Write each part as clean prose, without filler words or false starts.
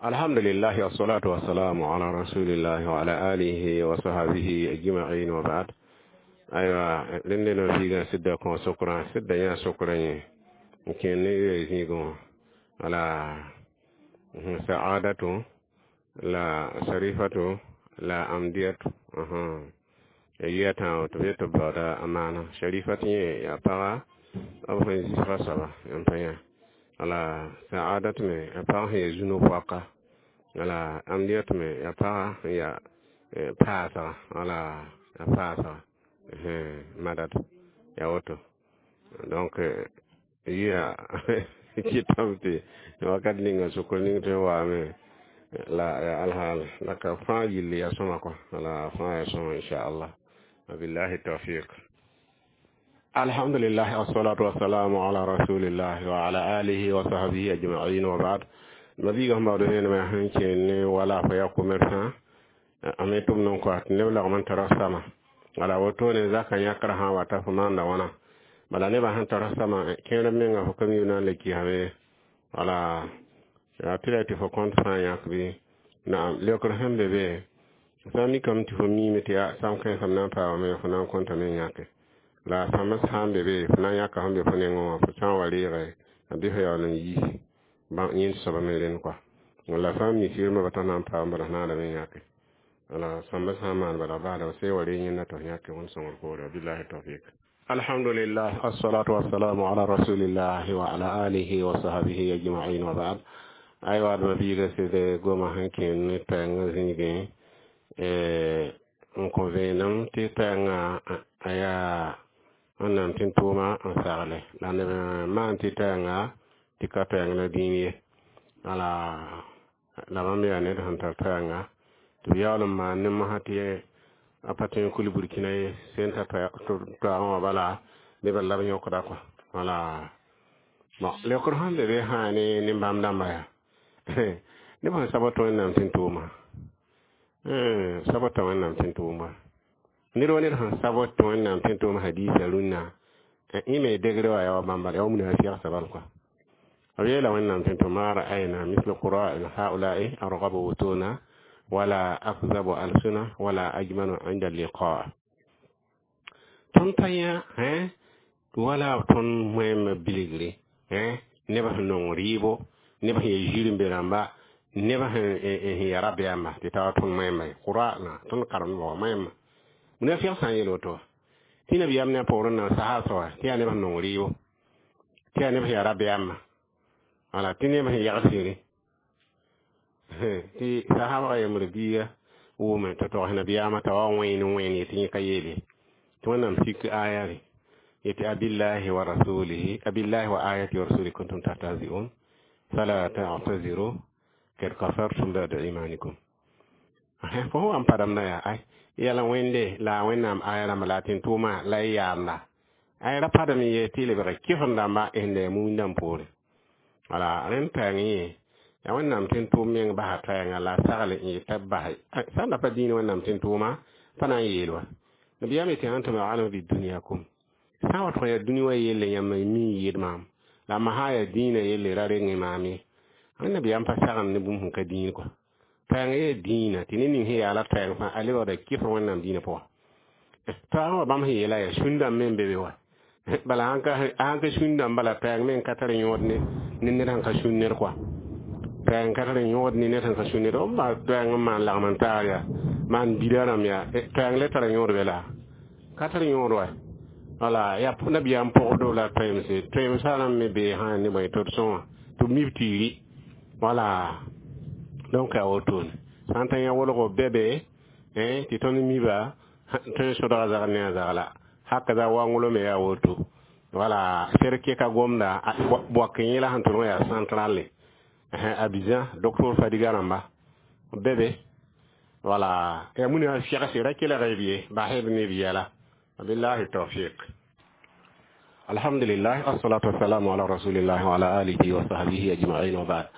Alhamdulillah, wassalatu wassalamu ala rasulillah wa ala alihi wa sahbihi ajma'in, wa ba'd. Aywa, rẽnd no fiigã sɩda kõ sokrã, sɩda yã sokrã yẽ n kẽer ne zĩigẽ wã. Wala sa'adatu la sharifatu la amdiyatu, ya yia tãabo tɩ b yet tɩ b baooda a maana sharifat yẽ yaa paga b sẽn zisga soaba n pa yã. Wala sa'adat me yaa pag sẽn ya zu-no-poaka. Wala amdiyat me yaa paga sẽn yaa paasga. Wala yaa paasga madad yaa woto. Donc yia kɩtame tɩ wakat ninga sokr ning tõe n waame la ya alhaal la ka fãa yɩll yaa sõma kɔ. Wala fãa yaa sõma, inchallah. Wabillahi tawfiq. Alhamdulillah, wassalatu wassalamu ala rasulillah wa ala alihi wa sahbihi ajma'in, wa ba'd. Mabiiga sẽn baood vẽenemã sẽn kẽer ne wala fo yaa commerçant a me tʋm n kɔ tɩ neb lagm n tara sama. Wala wotone zaka yãkra sã n wata fo maanda wãna. Bala nebã sẽn tara sama kẽer menga fo ka mi na n le kɩsame. Wala yaa tɩ la tɩ fo kõnt sã n yãk bɩ naam leokr sẽn be be sã n mikame tɩ fo miime tɩ yaa sam kãensã m na n paamame, fo na n kõntame n yãke. La sãmbs sã n be be, fo na n yãka sẽn be fo nengẽ wã, fo sã n wa reege a bɩ fo yaool n yiisi yẽnd soaba me rẽnd kɔa. Wala sã n mi sɩrmã ba t'a na n paam, bala f naadame n yãke. Wala sãmbs sã n maan bala baada f see wa reeg yẽnda tɩ f yãke wẽnd sõngr poore. Wabillahi tawfik. Alhamdulillah, assalatu wassalamu ala rasulillah wa ala alihi wa sahbihi ajma'in, wa ba'd. Aywa, d mabiiga sɩd goma sẽn kẽer ne pɛɛngã zĩigẽ n kõ vẽenem tɩ pɛɛngã a yaa Wẽnnaam tɩ n tʋʋma n sagle la neb maan tɩ tɛɛnga tɩ ka pɛɛng la dĩin ye. Wala la bãmb yaa ned sẽn tar pɛɛnga tɩ b yaool n maan ne mosã tɩ a pa tõe n kul Burkina ye sẽn ta toaagã wã. Bala nebã la b yõkda kɔa. Wala bon, leokr sẽn be be sã ne nin-bãmb dãmba yaa neb sẽn sabd tɩ Wẽnnaam tɩ n tʋʋma sabd t'a Wẽnnaam tɩ n tʋʋma. Ned wa ned sẽn sabd tɩ Wẽnnaam tɩ n tʋʋma hadiisa rũnnã yẽ me degre wa yaa wa bãmba yaa wa munafɩgsã bal kɔa. B yeela Wẽnnaam tɩ n tʋm ma ra'ayna mislu qura'in haula'i argabu butuna wala akzabu alsuna wala ajmanu inda liqa. Tõnd pa yã wala tõnd moẽmã bilgre nebã sẽn nong rɩɩbo, neb sẽn ya zir n be rãmba, neb sẽn ya rabeamã tɩ ta wa tõnd moẽmba ye qura'na tõnd karemdbã wa moẽmã. Munafɩg sã n yeel woto tɩ nabiyaam ne a poorẽ na n sasa soaba tɩ yaa neb sẽn nong rɩɩbo, tɩ yaa neb sẽn ya rabeamã, wala tɩ neb sẽn yag sĩri tɩ sahaba yembr biiga wʋʋme tɩ togs nabiyaamã t'a wa wẽen wẽen yetɩ yẽ ka yeele tɩ Wẽnnaam sik aya re yetɩ abillahi wa rasulihi, abillahi wa ayati wa rasulihi kuntum tahtazi'un fala ta'taziru kad kafartum ba'da imanikum. Fo wa n padamda yaa ay yala Wẽnde la a Wẽnnaam aya rãmba la a tɩ n tʋʋma la y yaamda ay ra padame ye tɩ y lebg kɩsem dãmba sẽn da mumĩn dãmb poore. Wala rẽnd pɛɛng yẽ yaa Wẽnnaam tɩ n tʋʋm meng basa pɛɛnga la a sagle n yeta basa sã n da pa dĩin Wẽnnaam tɩ n tʋʋma pa na n yeel wa nabiyaam yetɩ antum a'lamu bidunyakum sã n wa tʋg yaa dũni wã yelle yãmb mi n yɩɩd maam la ma sã yaa dĩinã yelle ra reng maam ye. Wẽnnabiyaam pa sagend ne bũmb sẽn ka dĩin kɔa. Pɛɛng yaa dĩinã tɩ ned ning sẽn yaa la pɛɛng fãa a lebgda kɩfr Wẽnnaam dĩinã pʋga. Toaagã wã bãmb sẽn yeela yaa sũn-dãmb me n be be wa. Bala sãn ka sũn-dãmb bala pɛɛng me n ka tar yõod ne ned sẽn ka sũn ned kɔa. Pɛɛng ka tar yõod ne ned sẽn ka sũn ned. B baa toɛɛng n maan lagm n taar yaa maan bida rãmb yaa toɛɛng le tara yõod be la ka tar yõod wa. Wala yaa nabiyaam pʋgdo la toɛemse toɛemsã rãmb me bee sã ne bõe tɩ d sõa tɩ b mib tiiri. Wala donc yaa wotone sã n ta yã wolgo bɛ be tɩ tõnd miba tõe n sõdga zagl ne a zagla hakaza wanglo me yaa woto. Wala serke ka gomda boak yẽla sẽn tʋlg yaa centrale Abidjan docteur Fadiga rãmba bɛ be. Wala ya muni segse ra kelg b ye basd ne b yɛla. Wabillahi tawfiq. Alhamdulillah, assalatu wassalamu ala rasulillah wa ala alihi wa sahbihi ajma'in, wa ba'd.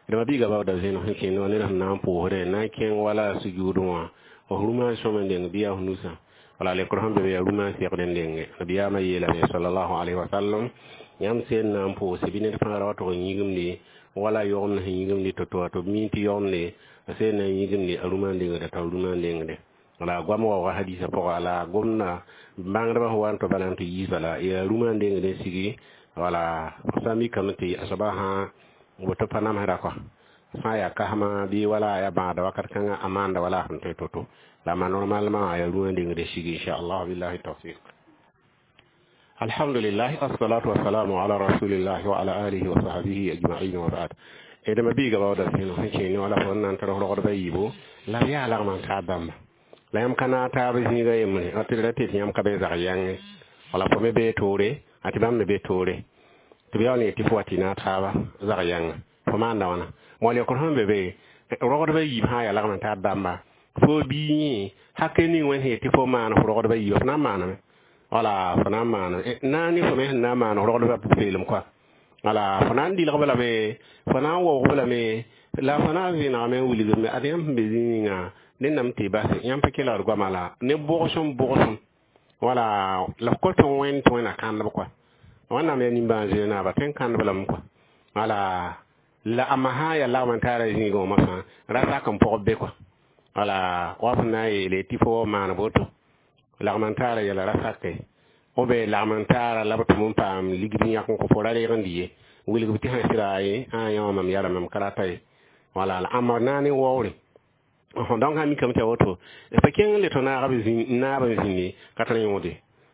Dama biiga baooda vẽenem sẽn kẽnd wã ned sẽn na n pʋʋsdẽ na n kẽng wala sujuudẽ wã f rũmã sõm n deng bɩ yaa f nusã. Wala lekr sẽn be be yaa rũmã segd n denge. Nabiyaamã yeelame sallallahu alaihi wasallam yãmb sẽn na n pʋʋse bɩ ned fãa ra wa tʋg n yĩgimde Wala yogem sẽn yĩgimd to-to tɩ b mi tɩ yogemde a sẽn na n yĩgimde a rũmã n lengda t'a rũmã n lengde. La goam waooga hadisa pʋga la gomda bãngdbã sẽn wa n tɩ bala n tɩ yiis bala yaa rũmã n lengd n sigi. Wala sã n mikame tɩ a soaba sã woto pa namsda kɔa sã n yaa kasma bɩ wala yaa bãagda wakat kãngã a maanda wala a sẽn tõe to-to la ma normalement yaa rũmã n lengd n sigi, inchallah, billahi tawfiq. Alhamdulillah, assalatu wassalamu ala rasulillah wa ala alihi wa sahbihi ajma'in, wa ba'd. Edma biiga baooda sẽn sẽn kẽene wala fo n na n tɩ rogdba yiibo la b yaa lagm n taab bãmba la yãmb ka naag taab zĩiga yembre tɩ d ra tɩ yãmb ka be zag yãnge wala fo me bee toore a tɩ bãmb me be toore tɩ b yaool n yet tɩ fo wa tɩ naag taaba zag yãnga fo maanda wãna moal yõkr sẽn be be rogdba yiib sã yaa lagm n taab bãmba fo bii yẽ hake ning wẽnd sẽn yet tɩ fo maan f rogdba yiiba fo na n maaname wala fo na n maaname na ne fo me sẽn na n maan rogdba peelem kɔa wala fo na n dɩlgb lame fo na n waoogb lame la fo na n vẽnegame n wilgme ad yãmb sẽn be zĩ ninga nennam tɩ base yãmb pa kelgd goama la ne bʋgsem bʋgsem wala la f kõt wẽnd tɩ wẽnna kãndb kɔa wẽnnaam yaa nimbãan-zoe naaba tõe n kãndb lame kɔa wala la a sã yaa lagm n taara zĩigã wã moasã ra sak n pʋgb be kɔa wala wa f na n yeele tɩ fo maan boto lagm n taara yɛla ra sake b lagm n taara la b tʋm n paam ligd yãk n kõ fo ra reeg n dɩ ye wilgb tɩ sã sɩda ye a yã wã mam yara mam ka rata ye wala la ãmba na ne waoore. Donc sã mikame tɩ ya woto pa kẽng n le tɩ naag naab n zĩndi ka tɩ yõode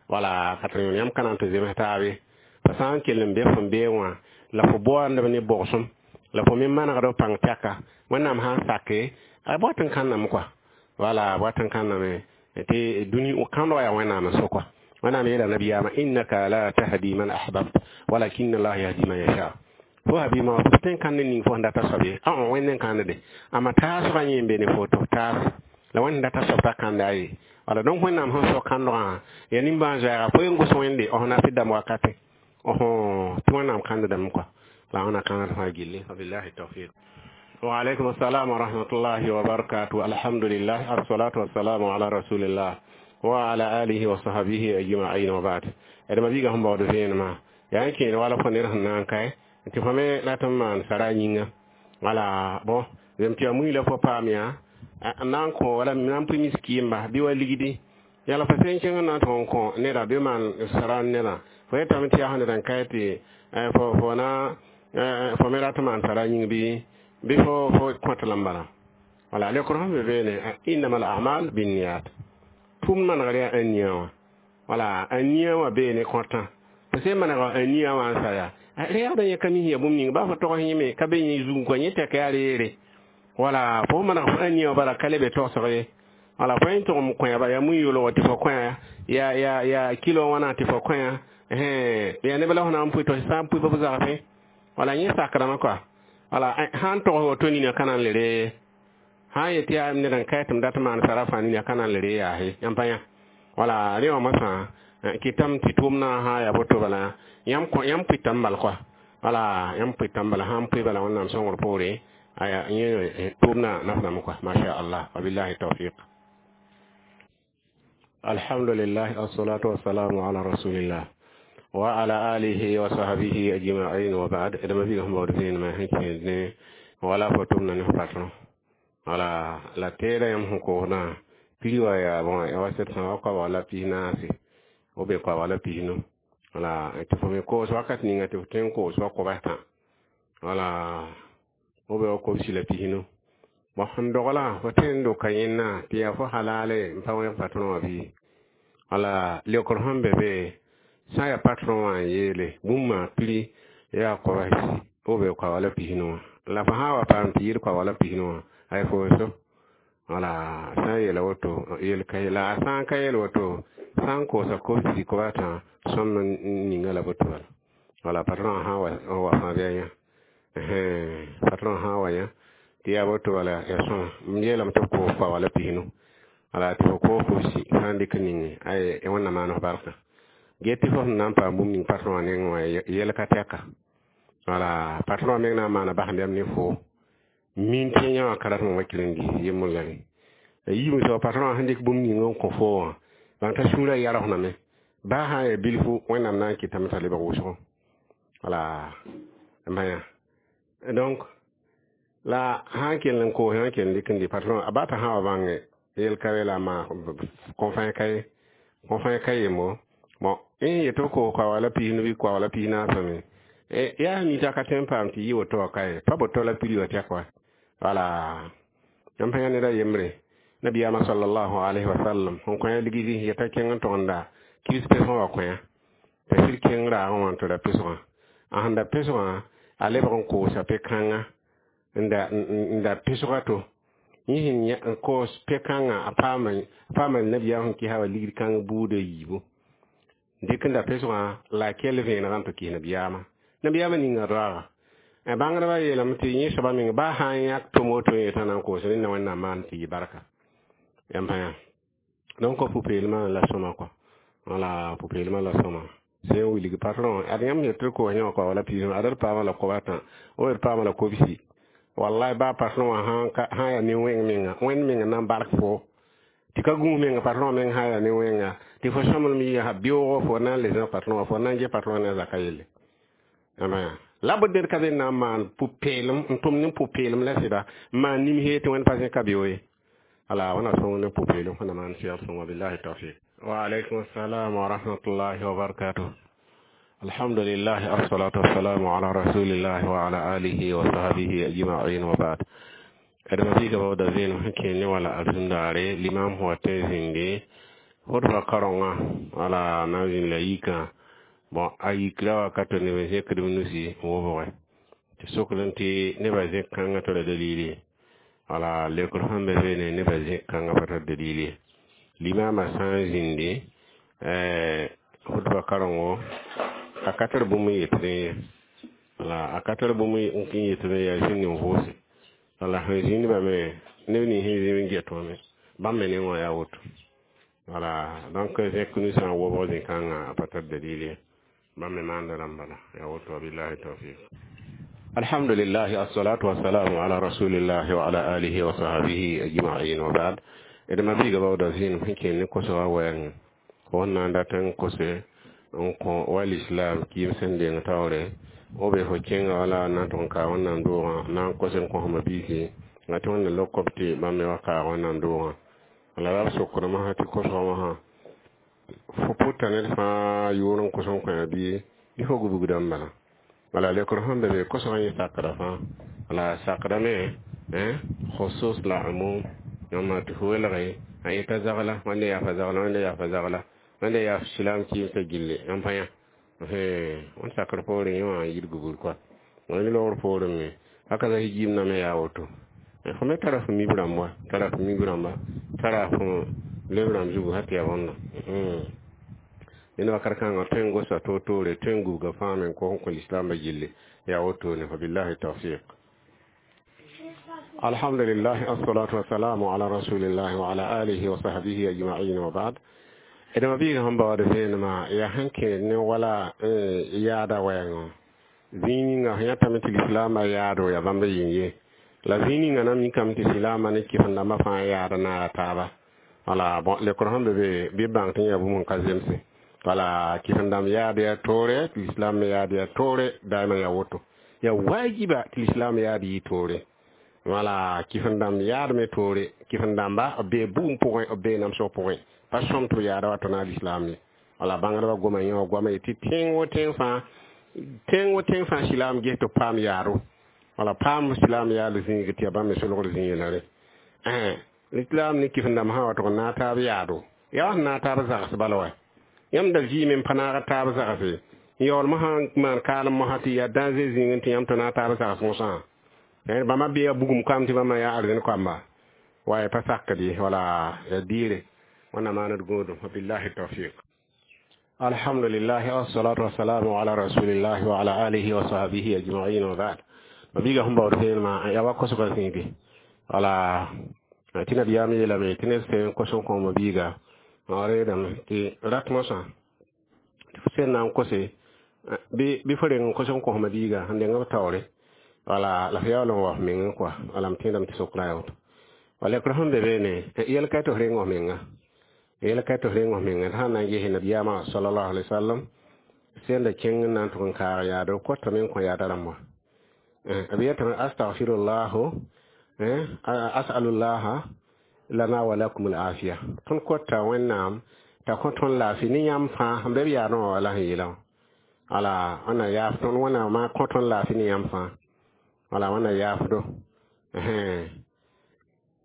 wala ka tɩ yõod yãmb ka na n tɩ zems taabe pa sã n kell n be fõn bee wã la fo baoandb ne bʋgsem la fo me manegd f pãng tɛka wẽnnaam sã n sake a b wat n kãnname kɔa wala b wat n kãnname tɩ dũni kãndg yaa wẽnnaam n so kɔa wẽnnaam yeela nabiyaamã innaka la tahdi man ahbabt walakin allah yahdi man yasha fo habima fo tõe n kãnd ning fo sẽn data soab ye a wẽnd n kãndde amma taasgã yẽ n be ne foto taas la wẽnd sẽn data soab t'a kãnda ye wala. Donc wẽnnaam sẽn so kãndgã yaa nimbãan-zoɛɛga fo yen gos wẽnde f na tɩ dãmb wakate tɩ wẽnnaam kãndame kɔa la wẽna kãngd fãa gilli wabillahi tawfiq. وعليكم السلام ورحمة الله وبركاته. الحمد لله، الصلاة والسلام على رسول الله وعلى آله وصحبه أجمعين، وبعد. إذا بيغا هم بعد فين ما يعني كين ولا فنير هنان كاي tɩ fo me rat n maan sara yĩnga wala bon zem tɩ yaa mui la fo paam yaa n na n kõ wala na n pʋ miskiimba bɩ wa ligdi yala fo sẽn kẽng n na n tʋg n kõ neda bɩ maan sara nedã fo yetame tɩ yaa ned n kae tɩ fo na fo me rat n maan sara yĩng bɩ fo kõt lame bala wala lekr sẽn be beene innama al amal binniyat tʋʋmd manegr yaa ãn-nia wã wala ãn-nia wã bee ne kõtã fo sẽn manega ãn-nia wã n sa yaa reegda yẽ ka mis ya bũmb ning baa fo tog yẽme ka be yẽ zug kõ yẽ tɛk yaa reere wala fo maneg fo ãn-nia wã bala ka le be togsg ye wala fo yẽ tʋgem kõyaba yaa mu-yoolgo tɩ fo kõya ya kilo wãna tɩ fo kõya yaa neb la fo na n pʋɩ tɩ sã n pʋɩ b zagfẽ wala yẽ sakrame kɔa wala sã n togs woto nina ka na n le ree sã n yet yaa ned n kae tɩ m dat maan sara fãa nina ka na n le ree yaase yãmb pa yã wala rẽ wã moasã kɩtame tɩ tʋʋmdã sã yaa boto bala yãmb yãmb pʋɩtame bal kɔa wala yãmb pʋɩtame bala sã n pʋɩ bala wẽnnaam sõngr poore aya yẽ tʋʋmdã nafdame kɔa masha allah wabillahi tawfiq. Alhamdulillah, assalatu wassalamu ala rasulillah wa ala alihi wa sahbihi ajma'in, wa ba'd. Edama biga sẽn baood vẽenemã sẽn kẽed ne wala fo tʋmda ne fo patron wala la teeda yãmb sẽn koosdã piri wa yaa bõe wa sẽd sã wa koabg la 14 b be koabg la 15 wala tɩ fo me koos wakat ninga tɩ fo tõe n koos wa koabs tã wala b be wa kobsi la 15 bon sẽn dogla fo tõe n doka yẽnna tɩ yaa fo halale n pa wẽg patron wã bɩ wala leokr sẽn be be sã n yaa patron wã n yeele bũmb piri yaa koabs b be koabg la 15 wã la fo sã n wa paam tɩ yɩɩd koabg la 15 wã ay fo so wala sã n yeela woto yel ka la a sã n ka yeel woto sã n koosa kobsi koabs sõmb n ninga la boto bala wala patron sã n wa fãa bɩ a yã patron sã n wa yã tɩ yaa boto bala ya sõma m yeelame tɩ b koos koabg la 15 wala tɩ fo koos kobsi fãa n dɩk ninge ay wẽnnaam maan f barka ge tɩ fo sẽn na n paam bũmb ning patron wã nengẽ wã yɛl ka tɛka wala patron wã meng na n maana basẽmbeam ne fo min tɩ yã wã ka rat n wa kirẽndi yembr la rẽ yiib soaba patron wã sẽn dɩk bũmb ning n kõ fo wã bãng t'a sũurã yarsname baa sã n yaa bilfu wẽnnaam na n kɩtame t'a lebg wʋsgo wala n bã yã. Donc la sã n kell n koos n kell dɩk n dɩ patron a ba t'a sã wa bãnge yel ka la maa kõ-fãa ka ye, kõ-fãa ka yembo. Bon, n yet b koos kaoa la 15 bɩ kaoa la 14 me, yaa mi t'a ka tõe n paam tɩ yɩ woto wã ka ye, pa boto la prix wã tɛk wa. Wala yãmb pa yã ned a yembre, nabiyaamã sallallahu alayhi wa sallam sẽn kõ ligdi yeta kẽng n togenda kibs pesgã wa kõ t'a sɩd kẽng raagẽ wã n tɩ ra pesgã. A sẽn da pesgã, a lebg n koosa pe-kãngã n da pesga to yẽ sẽn koos pe-kãngã, a paama nabiyaam sẽn kɩsa wa ligd kãng buuda yiibu dɩk n da pesgã la a kell vẽenegã n tɩ kɩs nabiyaamã. Nabiyaamã ninga roaaga bãngdbã yeelame tɩ yẽ soaba meng baa sã n yãk tom woto yetã na n koos rẽnda Wẽnnaam maan tɩ yɩ barka. Yãmb pa yã. Donc pʋ-peelmã la sõma kɔ, wala pʋ-peelmã la sõma sẽn wilg patron ad yãmb yet tɩ koos yẽ wã kɔ la piis ad d paama la kob atã, o d paama la kobsi. Wallahi baa patron wã sã yaa ne-wẽng menga, Wẽnd menga na n bark fo tɩ ka gũus menga. Patron meng sã yaa ne-wẽnga tɩ fo sõmblem yɩ beoogo, fo na n le zã patron wã, fo na n get patron ne a zaka yelle. Yãmba yã la b ned ka be na n maan pʋ-peelem n tʋm ne pʋ-peelem la sɩda n maan nimsee tɩ Wẽnd pa zẽka beo ye. Ala wẽna sõng ne pʋ-peelem sẽn na maan sɛgd sõnga. Billahi tawfiq. Wa alaykum assalam wa rahmatullahi wa barakatuh. Alhamdulillah, assalatu wassalamu ala rasulillah wa ala alihi wa sahbihi ajma'in, wa ba'd. Adama biiga baooda vẽenem sẽn kẽ ne wala arzũndaare limam sẽn wa tõe n zĩndi hʋtba kaorengã, wala na n zĩnd la yikã. Bon, a yikra wakato neb n zẽkd b nusi n wobge tɩ sokd n tɩ nebã zẽk kãngã tara dalili. Wala leokr sẽn be beene, nebã zẽk kãngã pa tar dalili. Limamã sã n zĩndi hʋtba kaorengo, a ka tar bũmb n yetd ye, wala a ka tar bũmb n yetd yaa zĩnd n vʋʋse. Wala sẽn zĩndbã me, neb nins sẽn zĩ n get wã me, bãmb me nengã yaa woto. Wala donc zẽk nusã n wobg zĩ-kãngã a pa tar dalil ye, bãmb me maanda rãmb bala, yaa woto. Billahi tawfiq. Alhamdulillah, assalatu wassalamu ala rasulillah wa ala alihi wa sahbihi ajma'in, wa ba'd. D ma biiga baooda zĩenem sẽn kẽen ne kosgã wɛɛngẽ, fo sẽn na n dat n kose n kõ wa lislam kɩɩm sẽn deng taoore o be fo kẽnga wala n na n tʋg n kaag Wẽnnaam doogã, na n kos n kõsma biisi la tɩ Wẽnna lok b tɩ bãmb me wa kaag Wẽnnaam doogã. Wala la b sokdame sã tɩ kosgã wã fo pʋta ned fãa yʋʋr n kos n kõ bɩ fo gubgdã n bala. Wala leokr sẽn be be, kosgã yẽ sakda fãa, wala sakdame khusus la umum. Yãmba tɩ fo welge a yeta zagla, wẽnde yaa fa zagla, wẽnde yaa fa zagla, wẽnde yaa silam kɩɩmsã gilli. Yãmb pa yã, wẽnd sakr poorẽ yẽ wã n yid gubgd kɔa wẽnd loogr poorẽ me haka la jiim me yaa woto. Fo me tara fo mib rãmb wa, tara fo mib rãmba, tara fo leb rãmb zugu sã tɩ yaa bõnda ned wakat kãngã tõe n gosa toor-toore, tõe n gubga fãa me n kos n kõ lislaambã gilli, yaa wotone fa. Billahi tawfiq. Alhamdulillah, assalatu wassalamu ala rasulillah wa ala alihi wa sahbihi ajma'in, wa ba'd. D ma biiga sẽn baood vẽenemã yaa sẽn kẽed ne wala yaada wɛɛngã zĩig ninga sẽn yãtame tɩ lislaambã yaado yaa bãmb yĩng ye, la zĩig ninga na mikame tɩ silaamã ne kɩsem-dãmbã fãa yaada naara taaba. Wala bon, lekr sẽn be be bɩ bãng tɩ yã bũmb n ka zemse. Wala kɩsem-dãmb yaad yaa toore, tɩ lislaam me yaad yaa toore, daima yaa woto, yaa wajiba tɩ lislaam yaad yɩ toore. Wala kɩsem-dãmb yaad me toore, kɩsem-dãmba b bee bugum pʋgẽ, b bee namsg pʋgẽ, pa sõm tɩ b yaada wa tõna lislaam ye. Wala bãngdbã goma yẽ wã goama yetɩ tẽng wo tẽng fãa, tẽng wo tẽng fãa silaam ges tɩ b paam yaado, wala paam silaam yaad zĩig tɩ yaa bãmb me solgd zĩig yeelare. Lislaam ne kɩsem-dãmb sã wa tʋg n naag taab yaado, yaa wa sẽn naag taab zags bala wa. Yãmb da vɩɩme n pa naag taab zagse n yaool mosã n maan kaalem mosã tɩ yaa danger zĩigẽ tɩ yãmb tɩ naag taab zags mosã. Bãmba bee bugum kam tɩ bãmba yaa arzẽn koamba wa pa sakd ye, wala yaa diire wẽnna maand gũudum. Billahi tawfiq. Alhamdulillah, wassalatu wassalamu ala rasulillah wa ala alihi wa sahbihi ajma'in, wa ba'd. Ma biiga sẽn baood vẽenemã yaa wa kosgã zĩigi. Wala tɩ nabiyaam yeelame tɩ ned sẽn kos n kõoma biiga reedame tɩ rat mosã tɩ fo sẽn na n kose bɩ fo reng n kos n kosma biiga sẽn deng b taoore, wala la f yaool n wa f meng kɔa. Wala m tẽedame tɩ sokra yaa woto. Wala lekr sẽn be beene, yɛl ka tɩ f reng f menga, yɛl ka tɩ f reng f menga sã n na n ges nabiyaamã sallallahu alaihi wasallam sẽn da kẽng n na n tʋg n kaag yaado kotame n kõ yaada rãmb wã. B yetame astaghfirullahu as'alullaha lana wa lakum al-afiya. Tõnd kota Wẽnnaam t'a kõ tõnd laafɩ ne yãmb fãa sẽn be b yaadẽ wã wala sẽn yeelã. Wala wẽnna yaaf tõnd, Wẽnnaamã kõ tõnd laafɩ ne yãmb fãa. Wala Wẽnna yaafdo.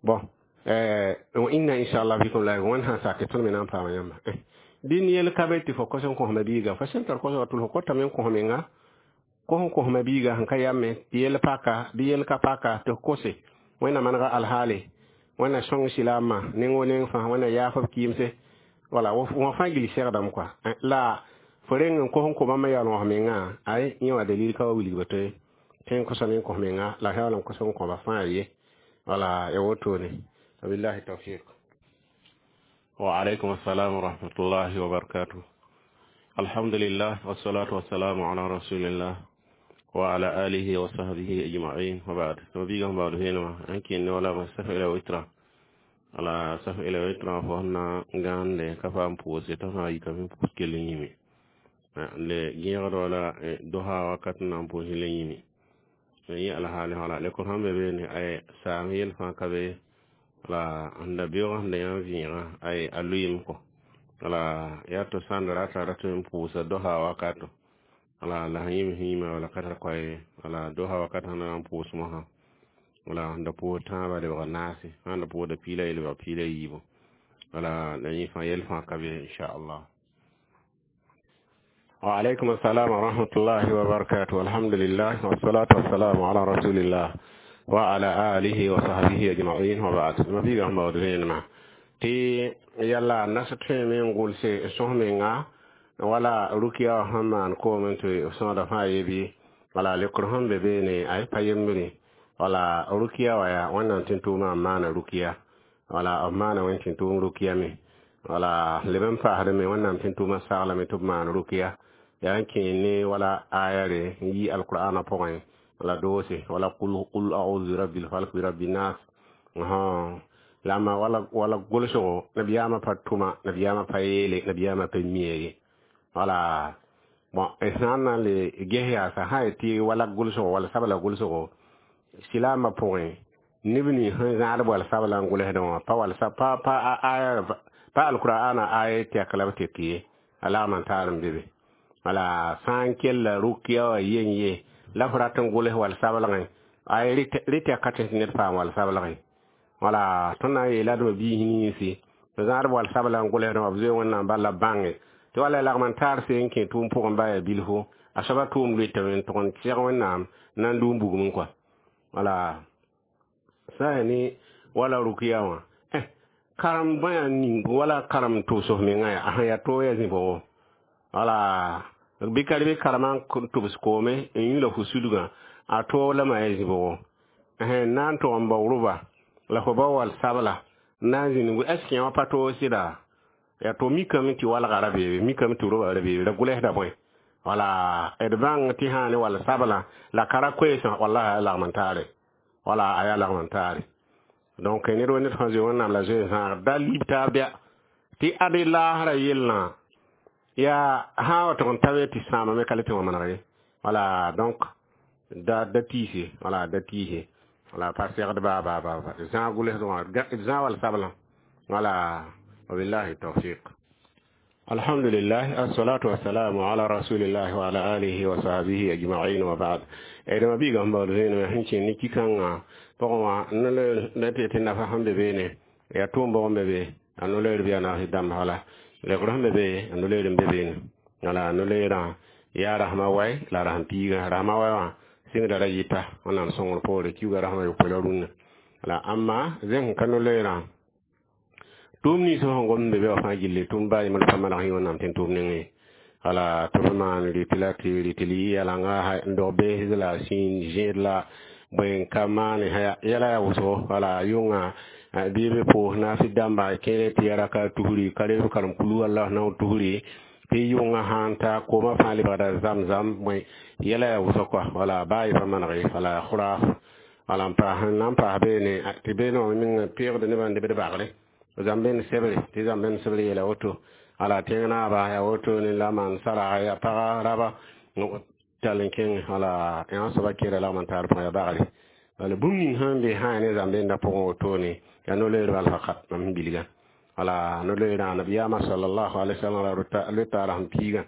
Bon, wa inna inshallah bikum la wẽnd sã sake tõnd me na n paama yãmba. Dĩn yel ka be tɩ fo kos n kosma biiga, fo sẽn tar kosga tʋl fo kotame n kos menga, kos n kosma biiga sẽn ka yame tɩ yel paka bɩ yel ka paka tɩ f kose. Wẽnna manega alhaale, Wẽnna sõng silaamã neng wo neng fãa, Wẽnna yaaf b kɩɩmse. Wala wã fãa gil segdame kɔa la fo reng n kos n kõ bãmb yaool wãs mengã. Ay, yẽ wã dalil ka wa wilgba tɩ tõe n kosame n kos menga la yaool n kos n kõba fãa ye. Wala ya wotone. Wabillahi tawfiq. Wa alaikum assalam wa rahmatullahi wa barakatuh. Alhamdulillah, wassalatu wassalamu ala rasulillah wa ala alihi wa sahbihi ajma'in, wa ba'd. To biga ba'd hena anki ne wala ma safa ila witra, ala safa ila witra fo na ngande ka fam pose to ha yika min pus kele yimi le gẽegd wala doha wakat na n pʋʋs le yĩme yẽ alhaali wala le ko sãn be beene ay saam yel fãa ka be wala sẽn da beoog sẽn da yã vẽegã ay a lʋɩɩm kɔ. Wala yaa to sãn da rata rat n pʋʋsa doha wakato wala la sẽn yĩm sẽn yĩma wala ka tar koa ye. Wala doha wakat sẽn na n pʋʋs mosã, wala sẽn da pʋʋs tãabã lebg naase, sãn da pʋʋsda piila ye lebg piila yiibu. Wala la yẽ fãa yel fãa ka be, inchallah. وعليكم السلام ورحمة الله وبركاته. الحمد لله والصلاة والسلام على رسول الله وعلى آله وصحبه أجمعين، وبعد. ما في غم بعد ما تي يلا ناس تفهم نقول سي سومينغا wala rukiya sẽn maan koomẽ tɩ sõoda fãa yebi. Wala lekr sẽn be beene ay pa yembre. Wala rukiya wa yaa Wẽnnaam tẽn-tʋʋmã n maana rukiya, wala b maana wẽn tẽn-tʋʋm rukiya me. Wala leb n paasdame Wẽnnaam tẽn-tʋʋmã saglame tɩ b maan rukiya yaa n kẽe ne wala ayare n yi alqur'ana pʋgẽ, wala doose wala qul a'udhu bi rabbil falq, bi rabbin nas. La ma wala wala gʋlsgo nabiyaamã pa tʋma, nabiyaamã pa yeele, nabiyaamã pa mia ye. Wala bon, sã n na n le ges yaasa sã n tɩ wala gʋlsgo wala sabla gʋlsgo silaamã pʋgẽ, neb nins sẽn zãad wal sabla n gʋlsdẽ wã pa wal pa pa aya pa alqur'ana aya tɛk la b tek ye a lagm n taar n be be. Wala sã n kella rukiya wã yen ye la f rat n gʋls wal sablgẽ ay rɩ tɛka tɩ ned paam wal sablgẽ. Wala tõnd na n yeela dma biis ninsi zãad wal sabla n gʋlsdẽ wã b zoe Wẽnnaam bala bãnge tɩ wala lagm n taar se n kẽ tʋʋm pʋgẽ ba yaa bilfo a soaba tʋʋm loetame n tʋg n seg Wẽnnaam na n dʋ n bugum kɔa. Wala sã yaa ne wala rukiya wã karem bõe ning wala karem tʋbs f mengã yaa a sẽn yaa toog yaa zĩ-bʋgo. Wala bɩ ka bɩ karemã n tʋbs koome n yũ la fo sudgã a toog lama yaa zĩ-bʋgo na n tʋg n bao rʋba la fo bao wal sabla n na n zĩnd est ce que yã pa toog sɩda yaa to mikame tɩ walga ra beebe, mikame tɩ roba ra beebe la gʋlsda bõe. Wala d bãng tɩ sã ne wal sabla la ka ra koeesã, wallahi a lagm n taare, wala a yaa lagm n taare. Donc ned wa ned fãa zoe Wẽnnaam la zoe zãag da lib taab bɩa tɩ ade laasra yellã yaa sã wa tʋg n ta be tɩ sãamame ka le tɩ wã maneg ye. Wala donc da da tiise, wala da tiise, wala pa segd baa baa baa zãag gʋlsd wã zãag wal sablã. Wala wabillahi tawfiq. الحمد لله، الصلاة والسلام على رسول الله وعلى آله وصحبه أجمعين، وبعد. إذا ما بيجا هم بعد ما هنشي نكي كان بقوا نلا نتي تنافع هم بينه يا توم بقوا بيبي أنو لير بيانا هدام هلا لكرهم بيبي أنو لير بيبين wala no leerã yaa rasmã wai la rasm piigã rasmã wai wã sɩngda ra yɩta Wẽnnaam sõngr poore kiuga rasmã yopoe la rũnnã. La ãmma zẽng ka no leerã tʋʋm nins sẽn gom be be wã fãa gilli tʋʋm baa yembr pa maneg yẽ Wẽnnaam tẽn tʋʋm nengẽ. Wala tɩ b maan rɩtɩ la tɩ rɩtɩ li yalanga n dog beesd la sĩin zẽed la bõe n ka maane yɛla yaa wʋsgo. Wala yʋngã bɩ b pʋʋs naasɩ dãmba kẽere tɩ ya raka tusri ka reb karem kulu Allah nao tusri tɩ yʋngã sãn ta koomã fãa lebgda zam-zam bõe yɛla yaa wʋsg kɔa. Wala baa yɩ pa maneg ye, wala khuraaf wala n paas n na n paas beene tɩ beene wã meng peegd nebã n debd bagre zãmb bẽnd sebre tɩ zãmb bẽnd sebre yeela woto. Ala tẽng naaba yaa woto ne la maan sara ya paga raba. Tall n kẽng wala yã soaba kẽera lagm n taar pʋgã yaa bagre wala bũmb ning sẽn be sã ne zãmb-dẽndã pʋgẽ wotone yaa no-loeer bal fakat mam sẽn bilgã wala no-loeerã nabiyaamã sallallahu alaihi wasallam ra loeta a rasem piigã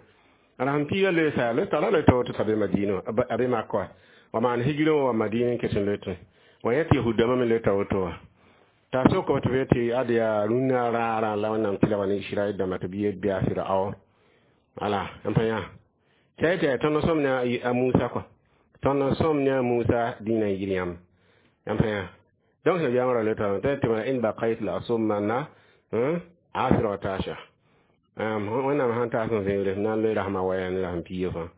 a rasem piigã loeesa loeta la loeta woto t'a be Madina a be Makka wa wa maan hijrã wã wa Madina n ket n loetẽ wa yẽ tɩ yahud-dãmbã me loeta woto wã t'a soka tɩ be tɩ ad yaa rũnnã raarã la Wẽnnaam tɩ la wa ne Israɛl dãmba tɩ b yet bɩ a Firaon wala n pa yã tɩ tɩ tõnd n sõm ne a Musa kɔ tõnd n sõm ne a Musa dĩinã n yir yãmb yãmb pa yã donc nabiyaamã ra loeta tɩ tɩ in baqayt la asummanna asra wa tasha Wẽnnaam sãn taas n zẽegre na n loe rasmã waya ne rasem piiga fãa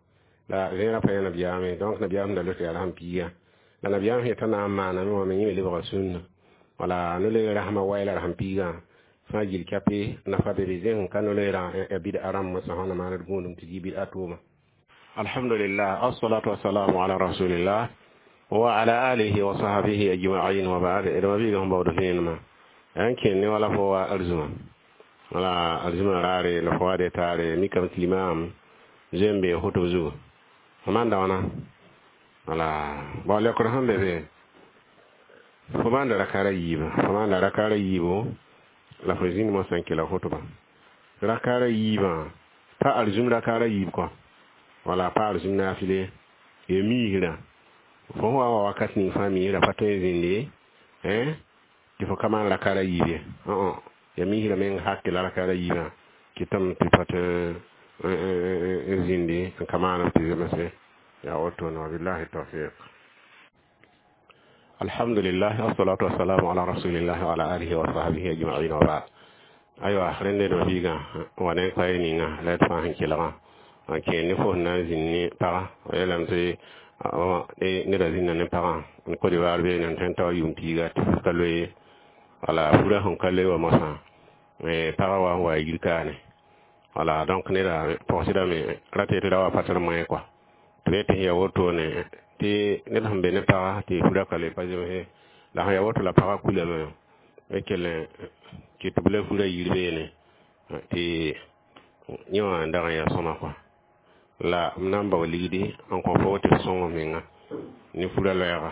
la zẽerã pa yã nabiyaame donc nabiyaam sẽn da loeta yaa rasem piiga la nabiyaam sẽn yetã na n maaname wã me yẽ me lebga sũnna wala no-loe rasmã waya la rasem piigã fãa gil kape nafa be be zẽng ka no-loeerã ya bɩd-a rãmb mosã sã na maand gũudum tɩ yɩ bɩd-a tʋʋma. Alhamdulillah, assalatu wassalamu ala rasulillah wa ala alihi wa sahbihi ajma'in wa ba'd. D ma biiga sẽn baood vẽenemã yaa n kẽnd ne wala fo wa arzuma wala arzuma raare la fo wa de taare mikame tɩ limaam zoe n bee hotb zugu fo maanda wãna wala bao leokd sẽn be be fo maanda rakaara yiibã fo maanda rakaara yiibo la fo zĩnd mosã n kela hotbã rakaara yiibã pa arzum rakaara yiib kɔ wala pa arzum naafile ya miisrã fo wa wa wakat ning fãa miisrã pa tõe n zĩnd ye tɩ fo ka maan rakaara yiib ye ya miisrã meng hak la rakaara yiibã kɩtame tɩ pa tɩ n zĩndi n ka maan tɩ zemse yaa wotone. Wabillahi tawfiq. Alhamdulillah, wassalatu wassalamu ala rasulillah wa ala alihi wa sahbihi ajma'in wa ba'd. Aywa rẽnde d biigã wa ne kaye ninga la d fãa sẽn kelgã n kẽer ne fo sẽn na n zĩnd ne pagã f yeelame tɩ neda zĩnda ne pagã n Côte d'Ivoire beene n tõe n tao yʋʋm piiga tɩ ka loe wala furã sẽn ka loe wa mosã pagã wa n wa yir kaane wala donc neda pɔgsdame ra tɩ ra wa pa tɩ moẽ kɔa tɩ be tɩ ya wotone tɩ ned sẽn be ne pagã tɩ furã ka loe pa zemse la sẽn ya woto la pagã kulame b kell n kɩt b la furã yir beene tɩ yẽ wã n dag n yaa sõma kɔa la m na n bao ligdi n kõ fo tɩ f sõng menga ne furã loɛɛga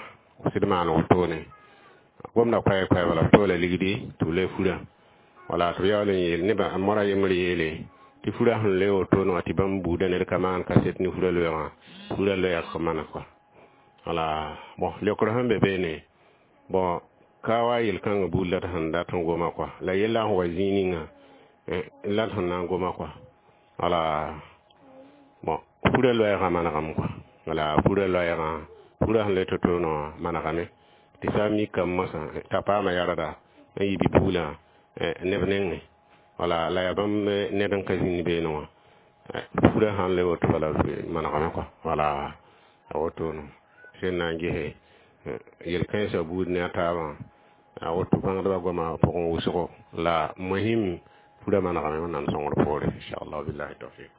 sɩd maan wotone gomda koɛɛ koɛɛba la b toola ligdi tɩ b loe furã wala tɩ b yaool n yeel nebã moara yembr yeele tɩ furã sẽn loe wotone wã tɩ bãmb buudã ned ka maan kaset ne furã loɛɛgã furã loɛɛg mana kɔa wala bon leokr sẽn be beene bon ka wa yel-kãngã buud la d sẽn dat n goma kɔa la yella sẽn wa zĩig ninga la d sẽn na n goma kɔa wala bon furã loɛɛgã manegame kɔa wala furã loɛɛgã furã sẽn loe to-toonã wã manegame tɩ sã n mikame mosã t'a paama yarda n yɩ bi-puglã neb nengẽ wala la yaa bãmb ned n ka zĩnd beene wã furã sãn le woto bala manegame kɔa wala a wotone sẽn na n gese yel-kãensã buud ne a taabã a woto bãngdbã goamã pʋgẽ wʋsgo la mohim furã manegame Wẽnnaam sõngr poore inchallah. Billahi tawfiq.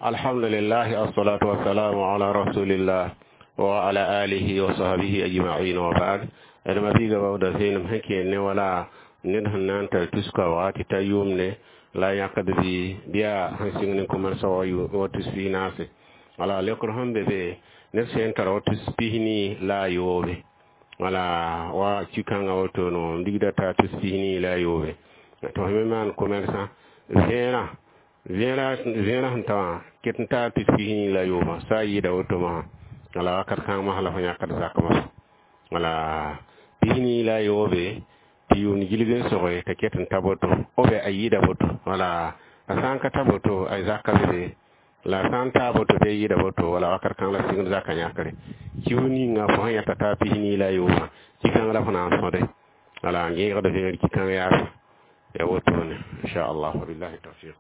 Alhamdulillah, assalatu wassalamu ala rasulillah wa ala alihi wa sahbihi ajma'in wa ba'd. D ma biiga baooda vẽenem sẽn kẽer ne wala ned sẽn na n tar tuska wa tɩ ta yʋʋmne la yãkd bɩ bɩa sẽn sɩng ne commerce wa wa tus pis naase wala leokr sẽn be be ned sẽn tara wa tus 24 la a yoobe wala wa ki-kãngã wotone n digda t'a tus 23 tɩ f me maan commerçant vẽerã vẽerã vẽerã sẽn ta wã ket n taa tus 23 sa a yɩɩda woto mosã wala wakat kãng mosã la fo yãkd zak mosã wala 23 tɩ yʋʋmd gilg n soge t'a ket n ta boto ou bien a yɩɩda boto wala a sã n ka ta boto a zaka be be la sã n taa boto bɩ a yɩɩda boto wala wakat kãng la sɩngd zaka yãkre kiu ninga fo sẽn yãta t'a 24 ki-kãng la fo na n sõde wala n gẽegd vẽer ki-kãng yaasa ya wotone inchallah. Wabillahi tawfiq.